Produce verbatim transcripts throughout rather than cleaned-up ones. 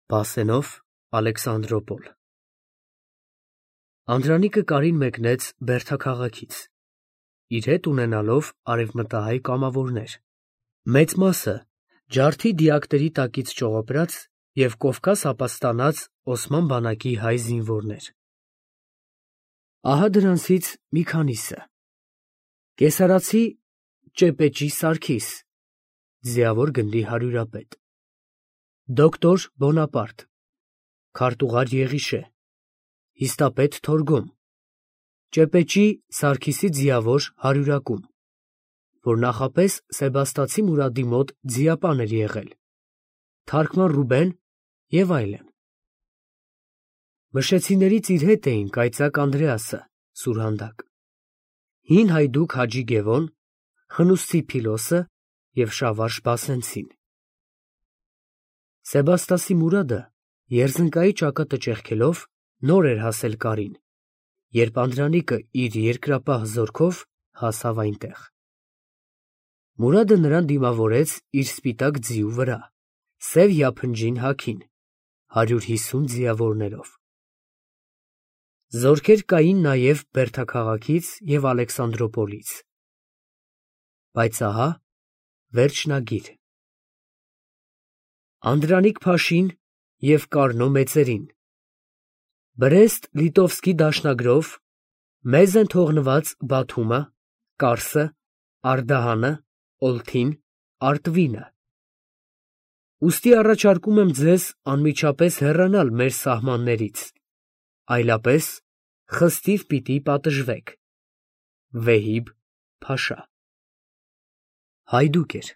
Բասենով Ալեքսանդրոպոլ Անդրանիկը Կարին մեկնեց Բերդաքաղաքից, իր հետ ունենալով արևմտահայ կամավորներ, մեծ մասը ջարդի դիակների տակից ճողոպրած և Կովկաս ապաստանած Օսման բանակի հայ զինվորներ. ահա դրանցից մի քանիսը. կեսարացի Ճեպեճի Սարգիս, ձիավոր գնդի հարյուրապետ, դոկտոր Բոնապարտ, քարտուղար Եղիշե, հիստապետ Թորգոմ, Ճեպեճի Սարգիսի ձիավոր հարյուրակում, որ նախապես Սեբաստացի Մուրադի մոտ ձիապան էր եղել, թարգման Ռուբեն և այլն. Մշեցիներից իր հետ էին կայծակ Անդրեասը, սուրհանդակ, հին հայդուկ Հաջի Գևոն, խնուստի Փիլոսը և շավարժ Բասենցին. Սեբաստասի Մուրադը երզնկայի ճակատը ճեղքելով նոր էր հասել Կարին, երբ Անդրանիկը իր երկրապահ զորքով հասավ այնտեղ. Մուրադը նրան դիմավորեց իր սպիտակ ձիու վրա, սև յափնջին հագին, հարյուր հիսուն ձիավորներով. Զորքեր կային նաև Բերդաքաղաքից և Ալեքսանդրոպոլից. բայց ահա վերջնագիր. Անդրանիկ Փաշին և Կարնո մեծերին Բրեստ-Լիտովսկի դաշնագրով մեզ են թողնված Բաթումը, Կարսը, Արդահանը, Օլթին, Արտվինը. ուստի առաջարկում եմ ձեզ անմիջապես հեռանալ մեր սահմաններից, այլապես խստիվ պիտի պատժվեք. Վեհիբ Փաշա. Հայդուկ էր,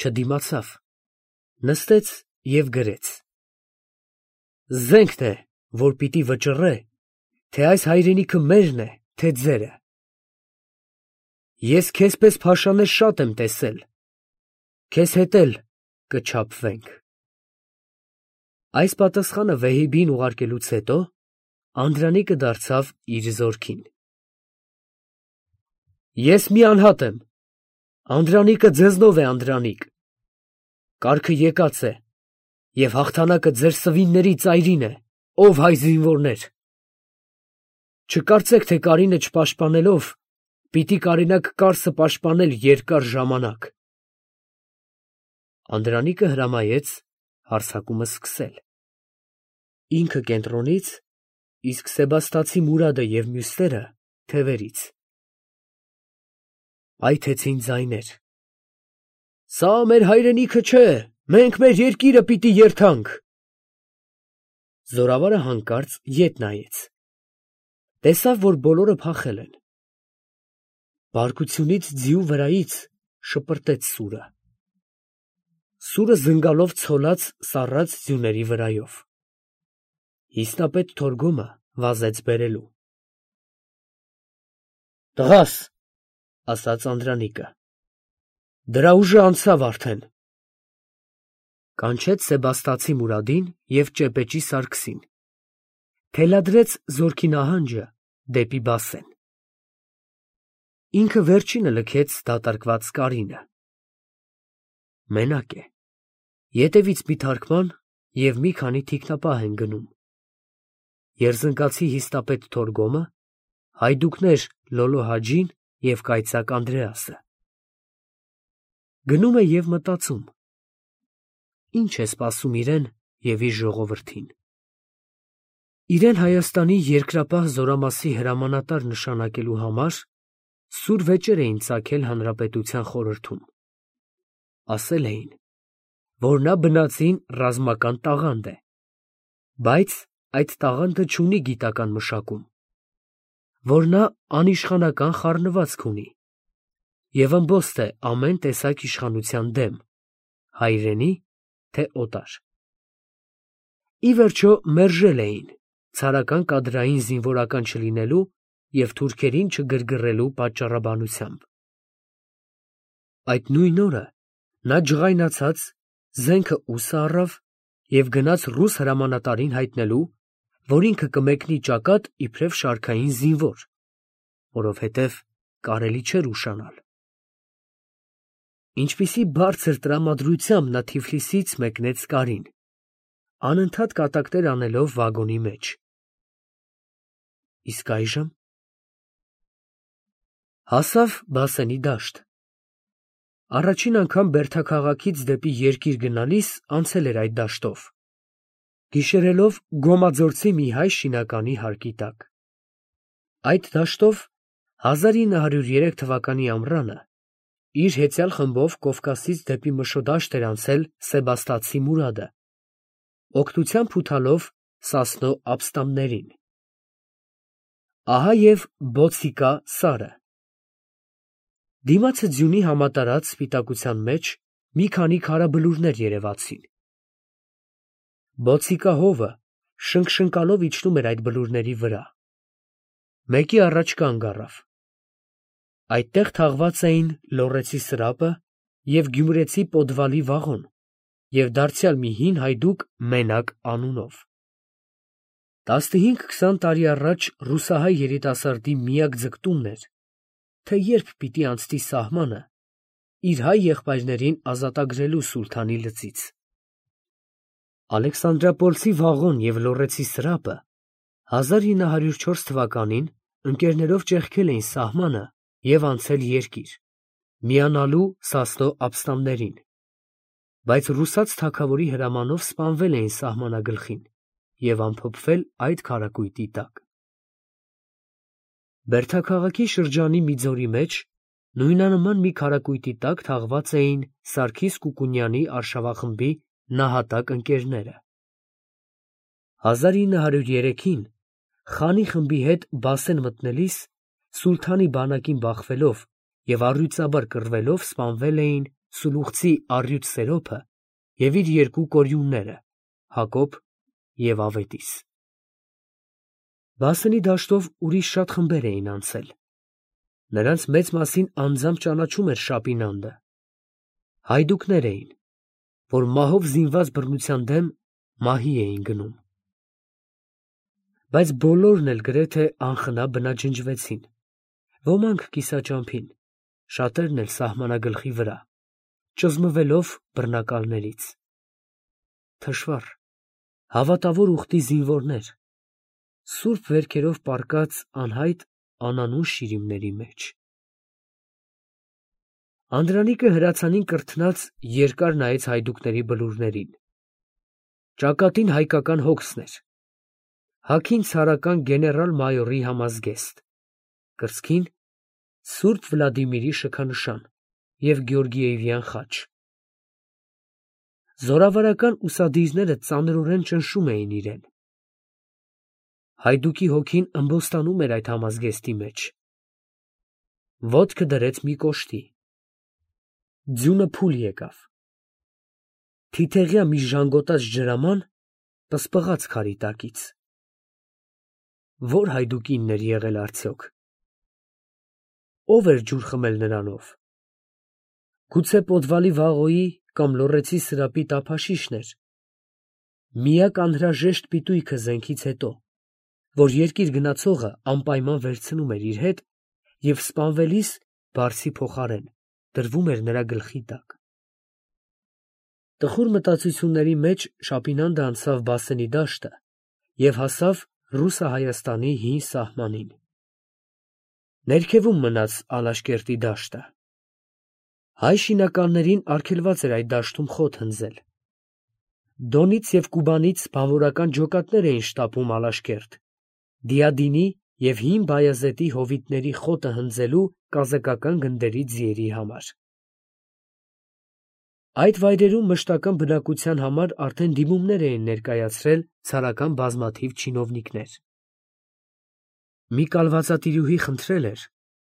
չդիմացավ, նստեց և գրեց. Զենքն է, որ պիտի վճռե, թե այս հայրենիքը մերն է, թե ձերը. ես քեզպես փաշաներ շատ եմ տեսել, քեզ հետ էլ կչափվենք։ Այս պատասխանը Վեհիբին ուղարկելուց հետո Անդրանիկը դարձավ իր զորքին. Ես մի անհատ եմ, Անդրանիկը ձեզնով է Անդրանիկ, կարգը եկած է, և հաղթանակը ձեր սվինների ծայրին է, ով հայ զինվորներ. չկարծեք, թե Կարինը չպաշտպանելով, պիտի կարենաք Կարսը պաշտպանել երկար ժամանակ։ Անդրանիկը հրամայեց հարձակումը սկսել. ինքը կենտրոնից, իսկ Սեբաստացի Մուրադը և մյուսները թևերից. այթեցին ձայներ. Սա մեր հայրենիքը չէ, մենք մեր երկիրը պիտի երդանք։ Զորավարը հանկարծ ետ նայեց. տեսավ, որ բոլորը փախել են. բարկությունից ձիու վրայից շպրտեց սուրը. Սուրը զնգալով ցոլած սառած ձյուների վրայով. Հիստապետ Թորգոմը վազեց բերելու. Տղաս, ասաց Անդրանիկը, դրա ուժը անցավ արդեն. կանչեց Սեբաստացի Մուրադին և Ճեպեճի Սարգսին, թելադրեց զորքի նահանջը դեպի Բասեն. ինքը վերջինը լքեց դատարկված Կարինը. մենակ է, ետևից մի թարգման և մի քանի թիկնապահ են գնում. Երզնկացի հիստապետ Թորգոմը, հայդուկներ Լոլո Հաջին և կայծակ Անդրեասը. գնում է և մտածում. ինչ է սպասում իրեն և իր ժողովրդին. իրեն Հայաստանի երկրապահ զորամասի հրամանատար նշանակելու համար սուր վեճեր էին ծագել Հանրապետության խորհրդում. ասել էին, որ նա բնածին ռազմական տաղանդ է, բայց այդ տաղանդը չունի գիտական մշակում, որ նա անիշխանական խառնվածք ունի և ըմբոստ է ամեն տեսակ իշխանության դեմ, հայրենի, թե օտար. ի վերջո մերժել էին ցարական կադրային զինվորական չլինելու և թուրքերին չգրգռելու պատճառաբանությամբ. այդ նույն օրը նա ջղայնացած զենքը ուսը առավ և գնաց ռուս հրամանատարին հայտնելու, որ ինքը կմեկնի ճակատ իբրև շարքային զինվոր, որովհետև կարելի չէր ուշանալ. ինչպիսի բարձր տրամադրությամբ նա Թիֆլիսից մեկնեց Կարին, անընդհատ կատակներ անելով վագոնի մեջ։ Իսկ այժմ հասավ Բասենի դաշտ։ Առաջին անգամ Բերդաքաղաքից դեպի երկիր գնալիս անցել էր այդ դաշտով, գիշերելով Գոմաձորցի մի հայ շինականի հարկի տակ։ Այդ դաշտով հազար ինը հարյուր երեք թվականի ամռանը իր հեծյալ խմբով Կովկասից դեպի Մշոդաշտ էր անցել Սեբաստացի Մուրադը, օգնությամբ ուտալով Սասնո ապստամբներին։ Ահա և Բոցիկա սարը։ Դիմացը ձյունի համատարած սպիտակության մեջ մի քանի քարաբլուրներ երևացին։ Բոցիկա հովը շնկշնկալով իջնում էր այդ բլուրների վրա։ Մեկի առաջ կանգ առավ։ Այդտեղ թաղված էին Լոռեցի սրապը և Գյումրեցի Պոդվալի վաղոն և դարձյալ մի հին հայդուկ Մենակ անունով։ Տասնհինգ-քսան տարի առաջ ռուսահայ երիտասարդի միակ ձգտումն էր, թե երբ պիտի անցնի սահմանը իր հայ եղբայրներին ազատագրելու սուլթանի լծից։ Ալեքսանդրապոլսի վաղոն և Լոռեցի սրապը հազար ինը հարյուր չորս թվականին ընկերներով ճեղքել էին սահմանը և անցել երկիր, միանալու Սասնո ապստամբներին, բայց ռուսաց թագավորի հրամանով սպանվել էին սահմանագլխին և ամփոփվել այդ քարակույտի տակ։ Բերդաքաղաքի շրջանի մի ձորի մեջ նույնանման մի քարակույտի տակ թաղված էին Սարգիս Կուկունյանի արշավախմբի նահատակ ընկերները։ հազար ինը հարյուր երեքին խանի խմբի հետ Բասեն մտնելիս սուլթանի բանակին բախվելով և առյուծաբար կռվելով սպանվել էին Սուլուխցի առյուծ Սերոփը և իր երկու կորյունները՝ Հակոբ և Ավետիս։ Բասենի դաշտով ուրիշ շատ խմբեր էին անցել։ Նրանց մեծ մասին անձամբ ճանաչում էր Շապինանդը։ Հայդուկներ էին, որ մահով զինված բռնության դեմ մահի էին գնում։ Բայց բոլորն էլ գրեթե անխնա բնաջնջվեցին, ոմանք կիսաճամփին, շատերն էլ սահմանագլխի վրա, ճզմվելով բռնակալներից։ Թշվառ, հավատավոր ուխտի զինվորներ, սուրբ վերքերով պառկած անհայտ անանուն շիրիմների մեջ։ Անդրանիկը հրացանին կրթնած երկար նայեց հայդուկների բլուրներին։ Ճակատին հայկական հոգսն էր, հագին ցարական գեներալ֊մայորի համազգեստ, կրծքին Սուրբ Վլադիմիրի շքանշան և Գեորգիեվյան խաչ։ Զորավարական ուսադիրները ծանրորեն ճնշում էին իրեն։ Հայդուկի հոգին ըմբոստանում էր այդ համազգեստի մեջ։ Ոտքը դրեց մի կոշտի։ Ձյունը փուլ եկավ։ Թիթեղյա մի ժանգոտած ջրաման պսպղաց քարի տակից։ Ո՞ր հայդուկինն էր եղել արդյոք։ Ո՞վ էր ջուր խմել նրանով։ Գուցե Պոդվալի վաղոյի կամ Լոռեցի սրապի տափաշիշն էր։ Միակ անհրաժեշտ պիտույքը զենքից հետո, որ երկիր գնացողը անպայման վերցնում էր իր հետ և սպանվելիս բարձի փոխարեն դրվում էր նրա գլխի տակ։ Տխուր մտածությունների մեջ Շապինանդը անցավ Բասենի դաշտը և հասավ Ռուսա-Հայաստանի հին սահմանին։ Ներքևում մնաց Ալաշկերտի դաշտը։ Հայ շինականներին արգելված էր այդ դաշտում խոտ հնձել։ Դոնից և Կուբանից բանվորական ջոկատներ էին շտապում Ալաշկերտ, Դիադինի և հին Բայազետի հովիտների խոտը հնձելու կազակական գնդերի ձիերի համար։ Այդ վայրերում մշտական բնակության համար արդեն դիմումներ էին ներկայացրել ցարական բազմաթիվ չինովնիկներ։ Մի կալվածատիրուհի խնդրել էր,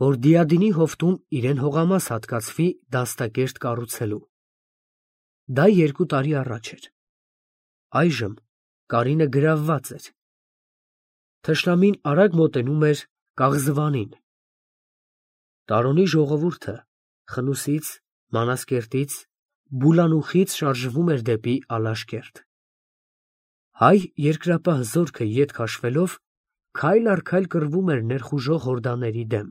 որ Դիադինի հովտում իրեն հողամաս հատկացվի դաստակերտ կառուցելու։ Դա երկու տարի առաջ էր։ Այժմ Կարինը գրավված էր։ Թշնամին արագ մոտենում էր Կաղզվանին։ Տարոնի ժողովուրդը Խնուսից, Մանասկերտից, Բուլանուխից շարժվում էր դեպի Ալաշկերտ։ Հայ երկրապահ զորքը ետ քաշվելով քայլ առ քայլ կռվում էր ներխուժող հորդաների դեմ,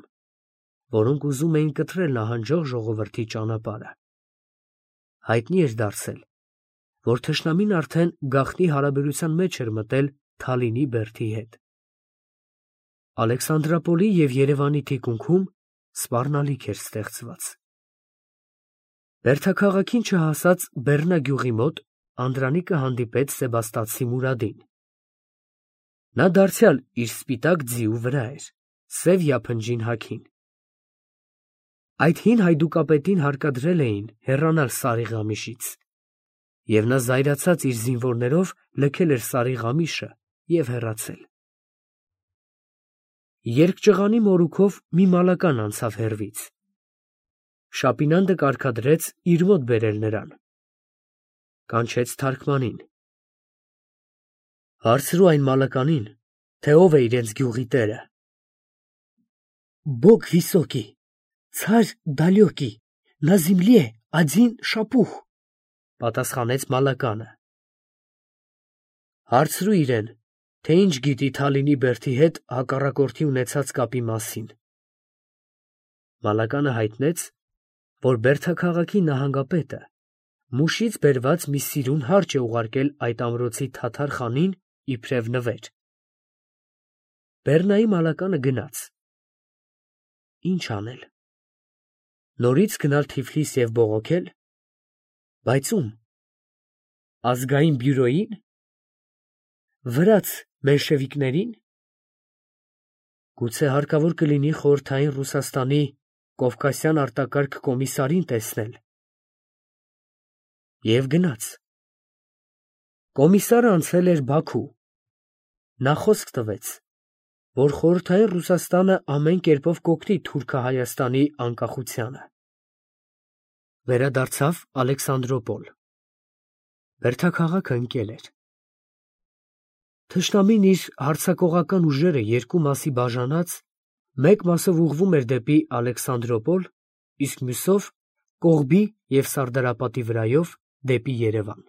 որոնք ուզում էին կտրել նահանջող ժողովրդի ճանապարհը։ Հայտնի էր դարձել, որ թշնամին արդեն գաղտնի հարաբերության մեջ էր մտել Թալինի բերդի հետ։ Ալեքսանդրապոլի և Երևանի թիկունքում սպառնալիք էր ստեղծված։ Բերդաքաղաքին չհասած Բեռնա գյուղի մոտ Անդրանիկը հանդիպեց Սեբաստացի Մուրադին։ Նա դարձյալ իր սպիտակ ձիու վրա էր, սև յափնջին հագին։ Այդ հին հայդուկապետին հարկադրել էին հեռանալ Սարիղամիշից, և նա զայրացած իր զինվորներով լքել էր Սարիղամիշը և հեռացել։ Երկճղանի մորուքով մի մալական անցավ հեռվից։ Շապինանդը կարգադրեց իր մոտ բերել նրան։ Կանչեց թարգմանին. հարցրու այն մալականին, թե ով է իրենց գյուղի տերը։ Բոգ վիսոկի, ցար դալյոկի, նա զիմլի է ադին շապուխ, պատասխանեց մալականը։ Հարցրու իրեն, թե ինչ գիտի Թալինի բերդի հետ հակառակորդի ունեցած կապի մասին։ Մալականը հայտնեց, որ Բերդաքաղաքի նահանգապետը Մուշից բերված մի սիրուն հարճ է ուղարկել այդ ամրոցի թաթար խանին իբրև նվեր։ Բեռնայի մալականը գնաց։ Ինչ անել։ Նորից գնալ Թիֆլիս և բողոքել, բայց ում։ Ազգային բյուրոյի՞ն։ Վրաց մենշևիկների՞ն։ Գուցե հարկավոր կլինի Խորհրդային Ռուսաստանի Կովկասյան արտակարգ կոմիսարին տեսնել։ Եվ գնաց։ Կոմիսարը անցել էր Բաքու։ Նա խոսք տվեց, որ Խորհրդային Ռուսաստանը ամեն կերպով կօգնի Թուրքահայաստանի անկախությանը։ Վերադարձավ Ալեքսանդրոպոլ։ Բերդաքաղաքը ընկել էր։ Թշնամին իր հարձակողական ուժերը երկու մասի բաժանած, մեկ մասով ուղղվում էր դեպի Ալեքսանդրոպոլ, իսկ մյուսով Կողբի և Սարդարապատի վրայով դեպի Երևան։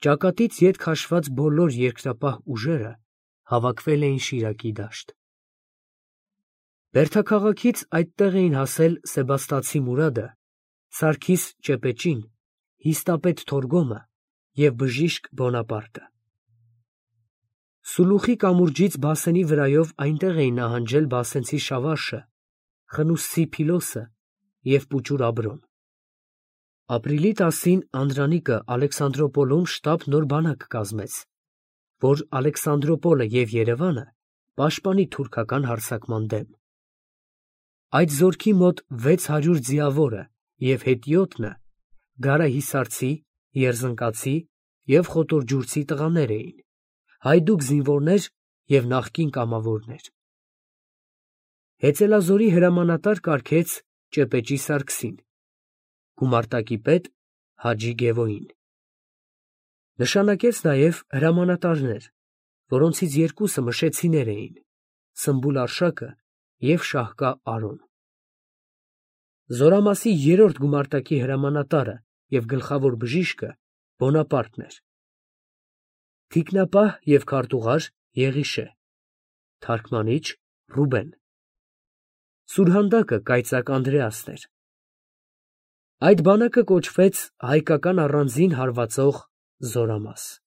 Ճակատից ետ քաշված բոլոր երկրապահ ուժերը հավաքվել էին Շիրակի դաշտ։ Բերդաքաղաքից այդտեղ էին հասել Սեբաստացի Մուրադը, Սարգիս Ճեպեճին, հիստապետ Թորգոմը և բժիշկ Բոնապարտը։ Սուլուխի կամուրջից Բասենի վրայով այնտեղ էին նահանջել բասենցի Շավարշը, Խնուսցի Փիլոսը և Պուճուր Աբրոն։ Ապրիլի տասին Անդրանիկը Ալեքսանդրոպոլում շտապ նոր բանակ կազմեց, որ Ալեքսանդրոպոլը և Երևանը պաշտպանի թուրքական հարձակման դեմ։ Այդ զորքի մոտ վեց հարյուր ձիավորը և հետիոտնը գարահիսարցի, երզնկացի և խոտորջուրցի տղաներ էին, հայդուկ զինվորներ և նախկին կամավորներ։ Հեծելազորի հրամանատար կարգեց Ճեպեճի Սարգսին, գումարտակի պետ Հաջի Գևոյին։ Նշանակեց նաև հրամանատարներ, որոնցից երկուսը մշեցիներ էին, Սմբուլ Արշակը և Շահկա Արոն։ Զորամասի երրորդ գումարտակի հրամանատարը և գլխավոր բժիշկը Բոնապարտն էր։ Թիկնապահ և քարտուղար Եղիշե, թարգմանիչ Ռուբեն։ Սուրհանդակը կայծակ Անդրեասն էր։ Այդ բանակը կոչվեց հայկական առանձին հարվածող զորամաս։